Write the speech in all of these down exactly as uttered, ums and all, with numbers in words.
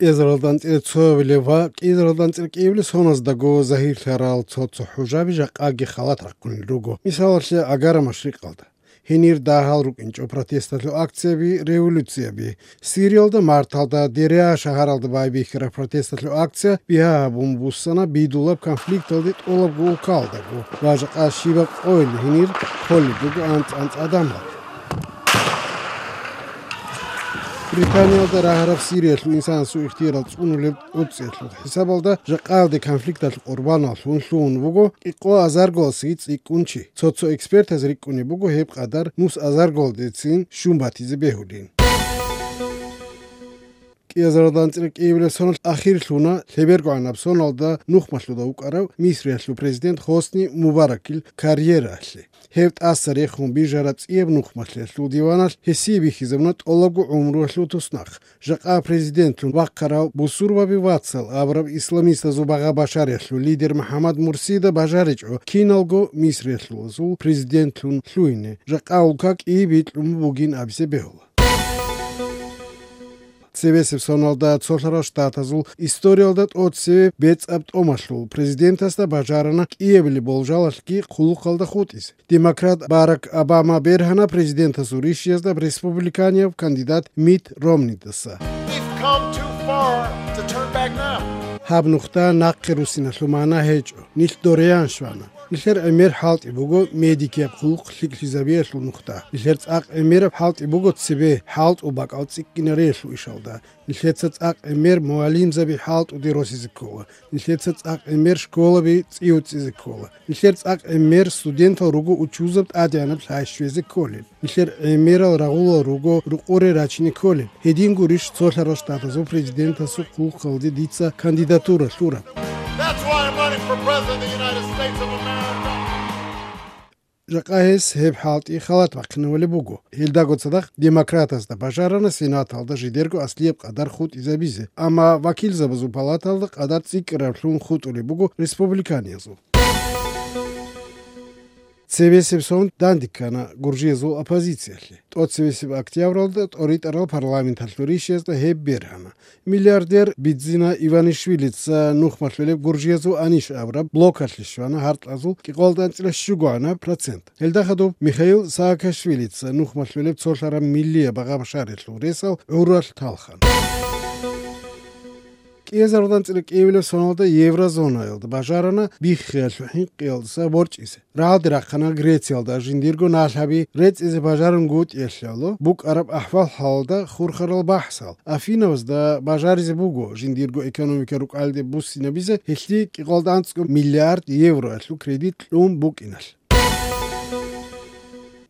КӀиазаралда анцӀила цоявилев ва кӀиазаралда анцӀила кӀиявилев соназдаго загьирлъарал цо-цо хӀужаби жакъаги халат рахъунел руго. Мисалалъе, Агара машрикъалда. Гьенир дагьал рукӀинчӀо протесталъул акцияби, революцияби. Сириялда марталда Дереа шагьаралда байбихьараб протесталъул акция бигьа гьабун буссана бидулаб конфликталде тӀолабго улкалдаго ва жакъа щибаб къойил гьенир холеб буго анцӀ-анцӀ адамал. Британиялда рагьараб Сириялъул инсанасул ихтияр цӀунулеб тӀоцӀиялъул хӀисабалда жакъаялде конфликталъ къурбаналлъун лъугьун вуго кӀикъоазаргоялдасаги цӀикӀкӀун чи. Цо-цо экспертаз рикӀкӀунеб буго гьеб къадар нус азаргоялдецин щун батизе бегьулин. КӀиазаралда анцӀила кӀиявилев соналъ ахирлъуна лъебергогӀанаб соналда нухмалъуда вукӀарав Мисриялъул президент Хосни Мубаракил карьераялъе. Гьев тӀаса рехун бижараб цӀияб нухмалъиялъул диваналъ гьесие бихьизабуна тӀолабго гӀумруялъул туснахъ. Жакъа президентлъун вахъарав бусурбаби вацал абураб исламистазул багъа-башариялъул лидер МухӀаммад Мурсида бажаричӀо киналго Мисриялъулазул президентлъун лъугьине, жакъа улка кӀииб бикьун бугин абизе бегьула. Цебесеб соналда цолъарал штатазул историялда тӀоцеве бецӀаб тӀомалъул президентасда бажарана кӀиабилеб болжалалъги хъулухъалда хутӀизе. Демократ Барак Обама бергьана президентасул ришиязда республиканияб кандидат Митт Ромнидаса. We've come too far to turn back now. Гьаб нухда нахъе руссиналъул магӀна гьечӀо. Нилъ дориян щвана. Нилъер гӀемер хӀалтӀи буго медикияб хъулухъ лъикӀлъизабиялъул нухда. Нилъер цӀакъ гӀемераб хӀалтӀи буго цебе хӀалтӀул бакӀал цӀикӀкӀинариялъул ишалда. Нилъеца цӀакъ гӀемер мугӀалимзаби хӀалтӀуде росизе ккола. Нилъеца цӀакъ гӀемер школаби цӀиуцӀизе ккола. Нилъер цӀакъ гӀемер студентал руго учузаб тӀадегӀанаб лъай щвезе кколел. Нилъер гӀемерал рагъулал руго рукъоре рачине кколел. Гьедин гурищ цолъарал штатазул президентасул хъулухъалде дица кандидатура лъураб. That's why I'm running for president of the United States of America. Жакъа гьес гьеб хӀалтӀи халат бахъинавулеб буго. Гьелдаго цадахъ демократазда бажарана Сенаталда жидерго аслияб къадар хутӀизабизе, амма вакилзабазул палаталда къадар цӀикӀкӀараблъун хутӀулеб буго республиканиязул. Цебесеб сон данде ккана гуржиязул оппозициялъе. ТӀоцебесеб октябралда тӀоритӀарал парламенталъул ришиязда гьеб бергьана. Миллиардер Бидзина Иванишвилица нухмалъулеб гуржиязул Аниш абураб блокалъе щвана гьаркьазул кӀикъоялда анцӀила щугоана процент. Гьелда хадуб Михаил Саакашвилица нухмалъулеб цолъараб миллияб багъа-башариялъул ресал гӀуралъ талхана. КӀиазаралда анцӀила кӀиявилев соналда еврозонаялда бажарана биххиялъул хӀинкъиялдаса борчӀизе. Рагьалде рахъана Грециялда жиндирго налъаби рецӀизе бажарунгутӀиялъул букӀараб ахӀвал-хӀалалда хурхарал бахӀсал. Афинабазда бажаризе буго жиндирго экономика рукӀалде буссинабизе гьелъие кӀикъоялда анцӀго миллиард евроялъул кредит кьун букӀиналъ.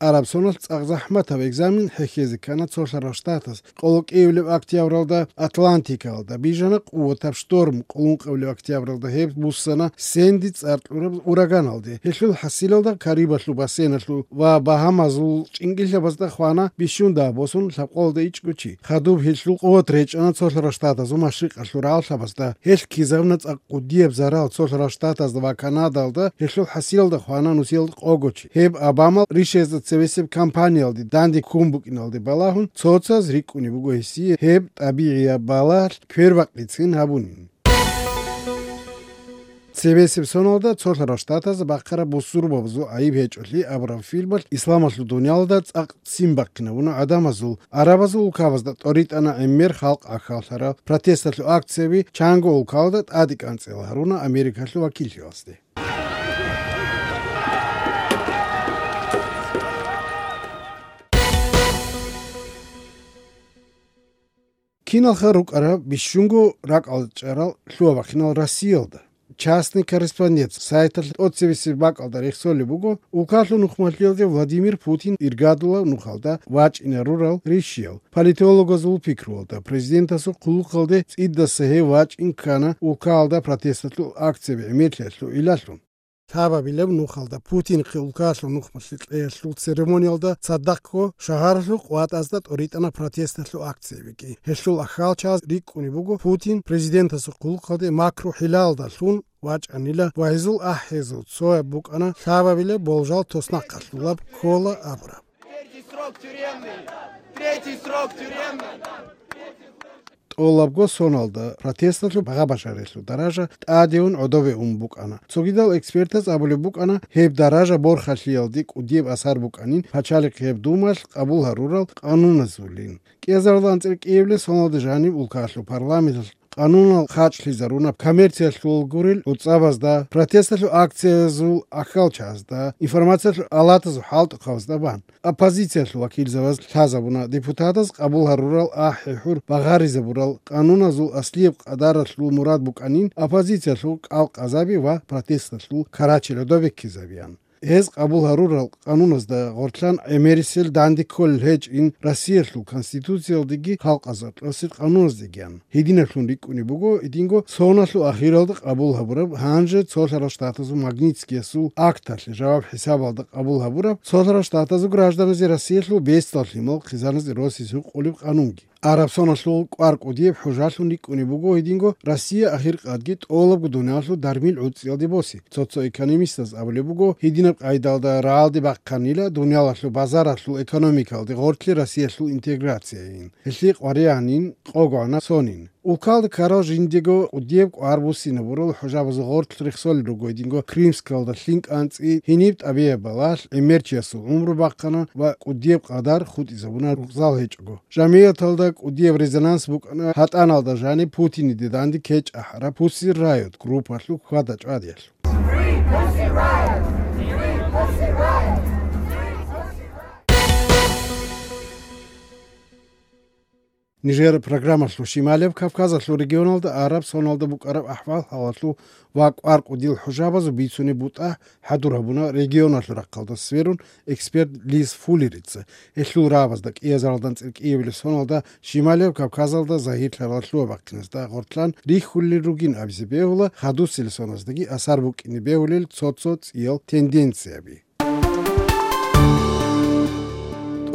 Араб соналъ цӀакъ захӀматаб экзамен хӀехьезе ккана цолъарал штатаз. Къоло кӀиявилеб октябралда Атлантикалда бижана къуватаб шторм, къулункъавилеб октябралда гьеб буссана Сэнди цӀар кьураб ураганалде. Гьелъул хӀасилалда Карибалъул бассейналъул ва Багьамазул чӀингилъабазда хвана бищун дагь босун лъабкъоялда ичӀго чи. Хадуб гьелъул къуват речӀана цолъарал штатазул машрикъалъул рагӀаллъабазда. Гьелъ ккезабуна цӀакъ кӀудияб зарал цолъарал штатазда ва Канадалда, гьелъул хӀасилалда хвана нусиялда къого чи. Гьеб Обамал ришиязда цевесеб кампаниялде данде ккун букӀиналде балагьун, цоцаз рикӀкӀунеб буго гьесие гьеб тӀабигӀияб балагьалъ квербакъицин гьабунин. Цевесеб соналда цолъарал штатазда бахъараб бусурбабазул гӀайиб гьечӀолъи абураб фильмалъ исламалъул дуниялалда цӀакъ ццин бахъинабуна гӀадамазул. Арабазул улкабазда тӀоритӀана гӀемер халкъ ахьаллъарал протесталъул акцияби, чанго улкалда тӀаде кӀанцӀила гьаруна Америкалъул вакиллъиялазде. Киналха рукӀараб бищунго ракӀалда чӀарал лъугьа-бахъинал Россиялда? Частный корреспондент сайталъ тӀоцебесеб бакӀалда рехсолеб буго улкалъул нухмалъиялде Владимир Путин иргадулаб нухалда вачӀине рурал ришиял. Политологазул пикруялда, президентасул хъулухъалде цӀидаса гьев вачӀин ккана улкалда протесталъул акцияби гӀемерлъиялъул гӀиллалъун. Лъабабилеб нухалда Путинихъе улкалъул нухмалъи кьеялъул церемониялда цадахъго шагьаралъул къватӀазда тӀоритӀана протесталъул акциябиги. Гьелъул ахьалчаз рикӀкӀунеб буго Путин президентасул хъулухъалде макру-хӀилалдалъун вачӀанила ва гьезул ахӀизул цояб букӀана лъабабилеб болжал туснахъалъулаб ккола абураб. Третий срок тюремный! Третий срок тюремный! ТӀолабго соналда протесталъул багъа-бажарилъул даража тӀадегӀун гӀодобе ун букӀана. Цогидал экспертаз абулеб букӀана, гьеб даража борхалъиялде кӀудияб асар букӀанин пачалихъияб думалъ къабул гьарурал къануназулин. КӀиазарилан анцӀила кӀиабилеб соналда жаниб улкаялъул парламенталъ къанунал хачӀлъизаруна коммерциялъул гурел гӀуцӀабазда, протесталъул акциязул ахьалчазда, информациялъул алатазул хӀалтӀухъабазда бан. Оппозициялъул вакилзабаз лъазабуна депутатаз къабул гьарурал ахӀи-хӀур багъаризабурал къануназул аслияб къадаралъул мурад букӀанин оппозициялъул кӀалкъазаби ва протесталъул карачел гӀодобе ккезабеян. Гьез къабул гьарурал къануназда гъорлъан гӀемерисел данде кколел гьечӀин Россиялъул Конституциялдеги халкъазул кьосел къануназдегиян. Гьединаблъун рикӀкӀунеб буго гьединго соналъул ахиралда къабул гьабураб, гьанже Цолъарал Штатазул Магнитскиясул акталъе жаваб хӀисабалда къабул гьабураб Цолъарал Штатазул гражданазе Россиялъул бесдал лъимал хъизаназе росизе гьукъулеб къанунги. Араб соналъул кӀвар кӀудияб хӀужалъун рикӀкӀунеб буго гьединго Россия ахиркъадги тӀолабго дуниялалъул дармил гӀуцӀиялде босе. Цо-цо экономистаз абулеб буго, гьединаб къайдалда рагӀалде бахъанила дуниялалъул базаралъул экономикалде гъорлъе Россиялъул интеграцияйин. Гьелъие къваригӀанин, къогогӀанаб сонин. Улкалда ккарал жиндего кӀудияб кӀвар буссинабурал хӀужабазул гъорлъ рехсолел руго гьединго Крымскалда лъим кӀанцӀи, гьениб тӀабигӀат балагьлъи, гӀемерчиясул гӀумру бахъана ва кӀудияб къадар хутӀизабуна рукъзал гьечӀого. Жамигьаталда кӀудияб резонанс букӀана гьатӀаналда жаниб Путиниде данде кечӀ ахӀараб Pussy Riot группалъул хьвада-чӀвадиялъ. Нижер программалъул Шималияб Кавказалъул регионалда араб соналда букӀараб ахӀвал-хӀалалъул ва кӀвар кӀудиял хӀужабазул бицунеб бутӀа хӀадур гьабуна регионалъул рахъалда сверун эксперт Лиз Фуллерица. Гьелъул рагӀабазда кӀиазаралда анцӀила кӀиабилеб соналда Шималияб Кавказалда загьирлъарал лъугьа-бахъиназда гъоркьан рихьулел ругин абизе бегьула хадусел соназдаги асар букӀине бегьулел цо-цо цӀиял тенденцияби.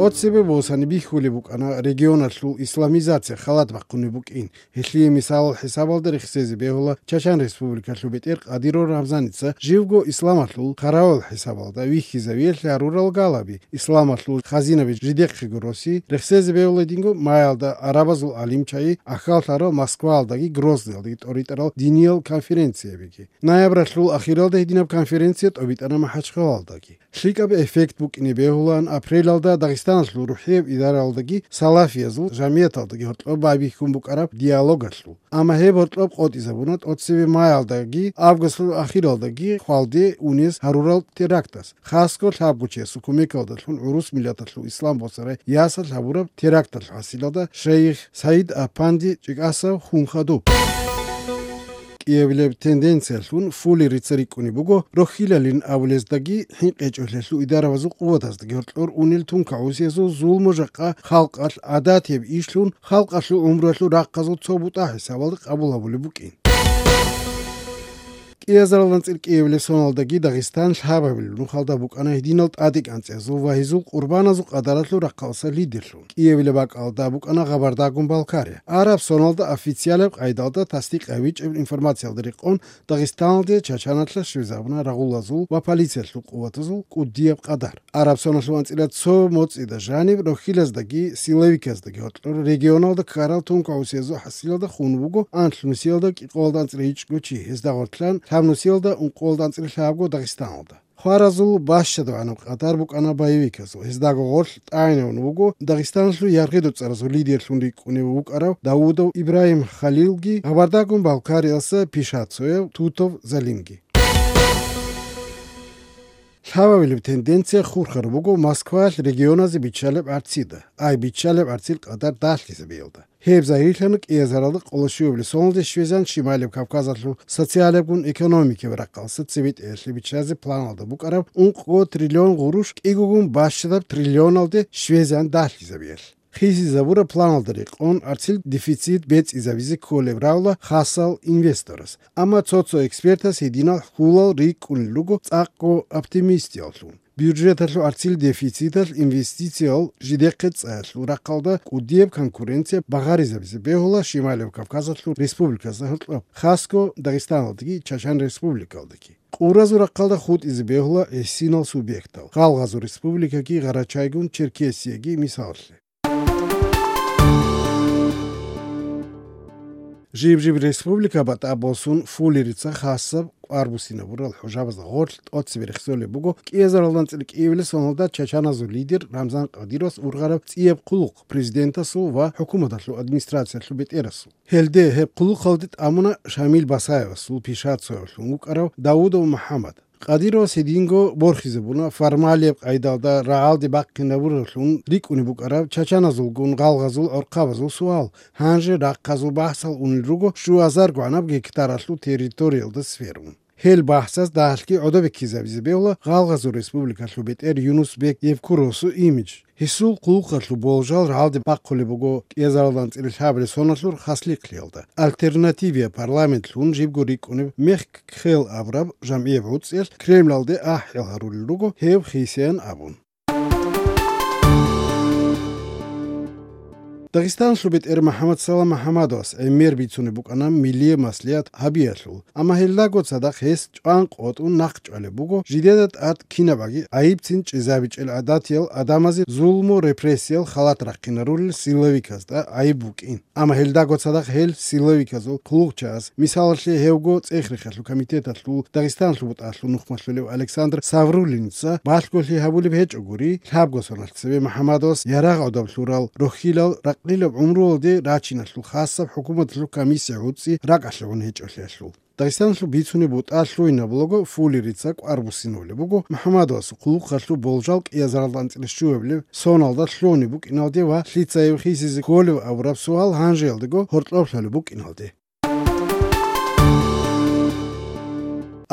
ТӀоцебе босани бихьулеб букӀана регионалъул исламизация халат бахъунеб букӀин. Гьелъие мисалал хӀисабалда рехсезе бегьула Чачан Республикалъул бетӀер Кадыров Рамзаница живго исламалъул хъаравул хӀисабалда вихьизавиялъе гьарурал галаби, исламалъул хазинаби жидехъего роси, рехсезе бегьула гьединго маялда арабазул гӀалимчаги, ахьаллъарал Москваялдаги Грозныйалдаги тӀоритӀарал диниял конференциябиги. Ноябралъул ахиралда гьединаб конференция тӀобитӀана МахӀачхъалалдаги. ЛъикӀаб эффект букӀине бегьулаан апрелалда Дагъистаналъул рухӀияб идаралдаги салафиязул жамияталдаги гьоркьоб байбихьун букӀараб диалогалъул. Амма гьеб гьоркьоб къотӀизабуна тӀоцебе маялдаги августалъул ахиралдаги хвалде унез гьарурал терактас, хасго лъабгочиясул кумекалдалъун гӀурус миллаталъул ислам босарай ясалъ гьабураб теракталъ хӀасилалда шайих Саид Апанди ЧӀикӀасав хун хадуб. КӀиабилеб тенденциялъун Фуллерица рикӀкӀунеб буго, рохьилалин абулездаги хӀинкъичӀолъиялъул идарабазул къуватаздаги гьоркьор унел тункагӀусиязул зулму-жакъа халкъалъ гӀадатияб ишлъун, халкъалъул гӀумруялъул рахъазул цо бутӀа хӀисабалда къабул гьабулеб букӀин. КӀиазаралдан цӀикӀкӀиявилеб соналдаги Дагъистан лъабабилеб нухалда букӀана гьединал тӀадекӀанцӀиязул ва гьезул къурбаназул къадаралъул рахъалъа лидерлъун. КӀиявилеб бакӀалда букӀана Гъабарда-Гумбалкария. Араб соналда официалаб къайдалда тасдикъ гьабичӀеб информациялда рекъон Дагъистаналде Чачаналъа щвезабуна рагъулазул ва полициялъул къуватазул кӀудияб къадар. Араб соналъул анцӀила цо моцӀида жаниб рохьилаздаги силовиказдаги гьоркьор регионалда ккарал тункагӀусиязул хӀасилалда хун вуго анлънусиялда кӀикъоялда анцӀила гьечӀго чи, гьезда гъоркьан лъабнусиялда ункъоялда анцӀила лъабго Дагъистаналда. Хваразул бащадабгӀанаб къадар букӀана боевиказул, гьездаго гъорлъ тӀагӀинавун вуго Дагъистаналъул яргъи-доцӀаразул лидерлъун рикӀкӀунев вукӀарав Даудов Ибрагьим Халилги, Гъабарда-Гумбалкариялъа Пишацояв Тутов Залимги. Лъабабилеб тенденция хурхараб буго Москваялъ регионазе биччалеб гӀарцида, ай биччалеб гӀарцил къадар дагьлъизабиялда. Гьеб загьирлъана кӀиазаралда къоло щуабилеб соналде щвезан Шималияб Кавказалъул социалабгун экономикаб рахъалъа цебетӀеялъе биччазе планалда букӀараб ункъго триллион гъурущ кӀигогун бащадаб триллионалде щвезан дагьлъизабиялъ. Хисизабураб планалда рекъон, гӀарцил дефицит бецӀизабизе кколеб равла хасал инвесторас. Амма цо-цо экспертас гьединал хьулал рикӀкӀунел руго цӀакъго оптимистияллъун. Бюджеталъул гӀарцил дефициталъ инвестициял жидехъе цӀаялъул рахъалда кӀудияб конкуренция багъаризабизе бегьула Шималияб Кавказалъул республиказда гьоркьоб, хасго Дагъистаналдаги Чачан Республикалдаги. Къуразул рахъалда хутӀизе бегьула гӀисинал субъектал, гъалгъазул республикаги Гъарачайгун Черкесияги мисаллъе. Жиб-жиб республика батӀа босун, Фулерица хасаб кӀвар буссинабурал хӀужабазда гъорлъ тӀоцебе рехсолеб буго кӀиазаралда анцӀила кӀиабилеб соналда чачаназул лидер Рамзан Кадыровас ургъараб цӀияб хъулухъ президентасул ва хӀукуматалъул администрациялъул бетӀерасул. Гьелде гьеб хъулухъалде тӀамуна Шамил Басаевасул Пишацоялъун вукӀарав Даудов МухӀаммад. Кадыровас гьединго борхизабуна формалияб къайдалда рагӀалде бахъинабуралъун рикӀкӀунеб букӀараб чачаназулгун гъалгъазул гӀорхъабазул суал, гьанже рахъазул бахӀсал унел руго щуазаргогӀанаб гектаралъул территориялда сверун. Гьел бахӀсаз дагьалъги гӀодобеккизабизе бегьула гъалгъазул республикалъул бетӀер Юнус-бек Евкуровасул имидж. Гьесул хъулухъалъул болжал рагӀалде бахъулеб буго кӀиазаралда анцӀила лъабабилеб соналъул хаслихълъиялда. «Альтернативия» парламентлъун жибго рикӀкӀунеб «Мехк-Кхел» абураб жамгӀияб гӀуцӀиялъ Кремлалде ахӀи гьарулел руго гьев хисеян абун. Дагъистаналъул бетӀер МухӀаммад Салам МухӀаммадовас гӀемер бицунеб букӀана милияб маслигӀат гьабиялъул, амма гьелдаго цадахъ гьес чӀван къотӀун нахъчӀвалеб буго жидеда тӀад кинабаги гӀайибцин чӀезабичӀел гӀадатиял гӀадамазе зулму-репрессиял халат рахъинарулел силовиказда гӀайиб букӀин. Амма гьелдаго цадахъ гьел силовиказул хъулухъчагӀаз, мисалалъе, гьевго ЦӀехрехиялъул комитеталъул Дагъистаналъул бутӀалъул нухмалъулев Александр Савруллинца балъголъи гьабулеб гьечӀогури, лъабго соналъ цебе МухӀаммадовас ярагъ гӀодоб лъурал рохьилал ракълилаб гӀумруялде рачиналъул хасаб хӀукуматалъул комиссия гӀуцӀи ракӀалъе гьечӀолъиялъул. Дагъистаналъул бицунеб бутӀа лъугьинабулаго Фулерица кӀвар буссинабулеб буго МухӀаммадовасул хъулухъалъул болжал кӀиазаралда анцӀила щуабилеб соналда лъугьунеб букӀиналде ва лъица гьев хисизе кколев абураб суал гьанжеялдаго гьоркьоб лъалеб букӀиналде.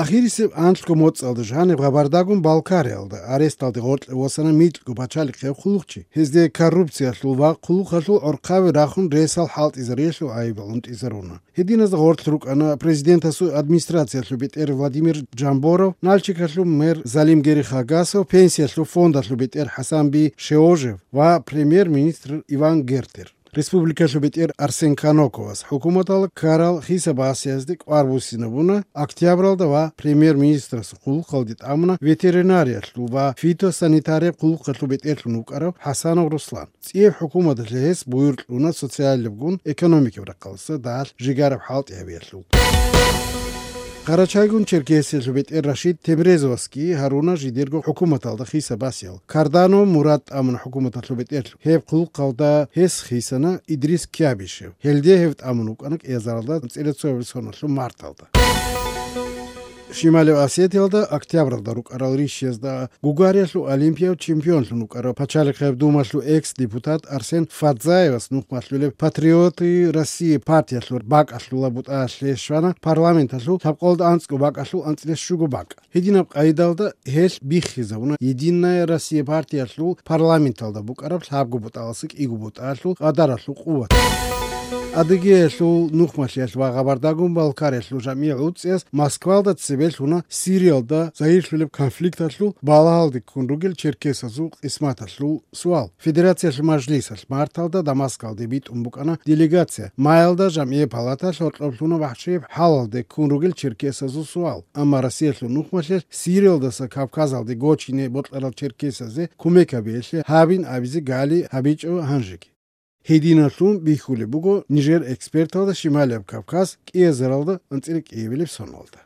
Ахирисеб анлъго моцӀалда жаниб Гъабардагун Балкариялда аресталде гъоркье восана микьго пачалихъ гьев хъулухъчи. Гьезде коррупциялъул ва хъулухъалъул гӀорхъаби рахун ресал хӀалтӀизариялъул гӀайибал унтӀизаруна. Гьединазда гъорлъ рукӀана президентасул администрациялъул бетӀер Владимир Жамборов, Нальчикалъул мэр Залимгери Хагасов, пенсиялъул фондалъул бетӀер ХӀасанби Шеожев ва премьер-министр Иван Гертер. Республикалъул бетӀер Арсен Каноковас хӀукуматалда ккарал хиса-басиязде кӀвар буссинабуна октябралда ва премьер-министрасул хъулухъалде тӀамуна ветеринариялъул ва фитосанитарияб хъулухъалъул бетӀерлъун вукӀарав ХӀасанов Руслан. ЦӀияб хӀукуматалъе гьес буюр кьуна социаллабгун экономикаб рахъалдаса дагьалъ жигараб хӀалтӀи гьабиялъул. Къарачайгун Черкесиялъул бетӀер Рашид Темрезовасги гьаруна жидерго хӀукуматалда хиса-басиял. Кардано Мурад тӀамуна хӀукуматалъул бетӀерлъун. Гьеб хъулухъалда гьес хисана Идрис Кябишев. Гьелде гьев тӀамун вукӀана кӀиазаралда анцӀила цоябилеб соналъул марталда. Шималев Осетиялда октябралда рукӀарал рищиязда Гугариялъул олимпияв чемпионлъун вукӀарав Пачалихъияб Думалъул экс-депутат Арсен Фадзаевас нухмалъулеб «Патриоты России» партиялъул бакӀалъула бутӀаялъе щвана парламенталъул лъабкъолда анцӀго бакӀалъул анцӀила щуго бакӀ. Гьединаб къайдалда гьелъ биххизабуна «Единая Россия» партиялъул парламенталда букӀараб лъабго бутӀаласа кӀиго бутӀалъул къадаралъул къуват. Адыгеялъул нухмалъиялъ ва Гъабардагун Балкариялъул жамгӀи гӀуцӀиялъ Москвалда цебе лъуна Сириялда загьирлъулеб конфликталъул балагьалде ккун ругел черкесазул къисматалъул суал. Федерациялъул мажлисалъ марталда Дамаскалде битӀун букӀана делегация. Маялда жамгӀияб палаталъ гьоркьоб лъуна вахӀшияб хӀалалде ккун ругел черкесазул суал. Амма Россиялъул нухмалъиялъ Сириялдаса Кавказалде гочине бокьарал черкесазе кумек гьабиялъе гьабин абизе гали гьабичӀо гьанжеги. Гьединалъун бихьулеб буго нижер эксперталда Шималияб Кавказ кӀиазаралда анцӀила кӀиабилеб соналда.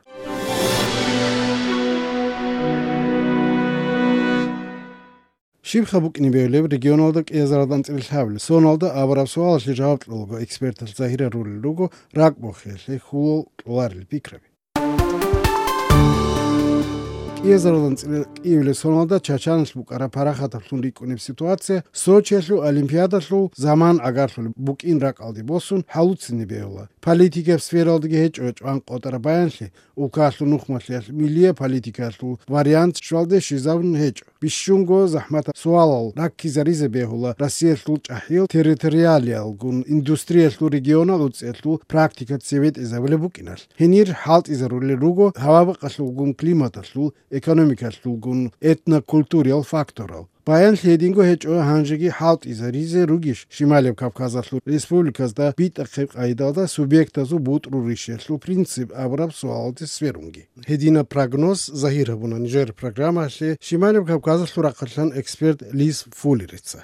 Щибха букӀине бегьулеб регионалда кӀиазаралда анцӀила лъабабилеб соналда абураб суалалъе жаваб кьолаго эксперталъ загьир гьарулел руго ракӀбохиялъе хьулал кьоларел пикраби. КӀиазаралда анцӀила кӀиабилеб соналда Чачаналъ букӀараб парахатаблъун рикӀкӀунеб ситуация Сочиялъул Олимпиадалъул заман гӀагарлъулеб букӀин ракӀалде босун хӀалуцинеб бегьула. Политикаб сфералдаги гьечӀо чӀван къотӀараб баянлъи, улкаялъул нухмалъиялъ миллияб политикаялъул вариант щвалде щвезабун гьечӀо. Бищунго захӀматаб суалал раккизаризе бегьула Россиялъул чӀахӀиял территориалиялгун индустриялъул регионал уцӀиялъул практика цебетӀезабулеб букӀиналъ. Гьенир хӀалтӀизарулел руго гьаваб-бакӀалъулгун климаталъул, экономикалъулгун, этнокультуриял факторал. Баянлъи гьединго гьечӀо гьанжеги хӀалтӀизаризе ругищ Шималияб Кавказалъул республиказда битӀахъеб къайдалда субъектазул бутӀрул ришиялъул принцип абураб суалалде сверунги. Гьединаб прогноз загьир гьабуна нижер программаялъе Шималияб Кавказалъул рахъалъан эксперт Лиз Фуллерица.